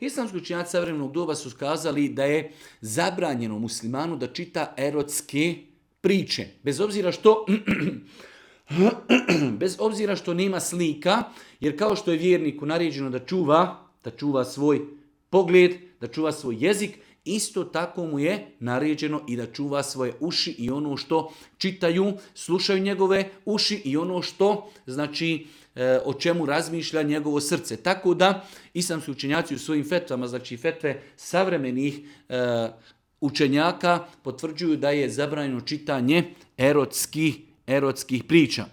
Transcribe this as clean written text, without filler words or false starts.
Islamski učenjaci savremenog doba su skazali da je zabranjeno muslimanu da čita erotske priče. Bez obzira što nema slika, jer kao što je vjerniku naređeno da čuva svoj pogled, da čuva svoj jezik, isto tako mu je naređeno i da čuva svoje uši i ono što čitaju, slušaju njegove uši i ono što, znači, o čemu razmišlja njegovo srce. Tako da islamski učenjaci u svojim fetvama, znači fetve savremenih učenjaka, potvrđuju da je zabranjeno čitanje erotskih priča.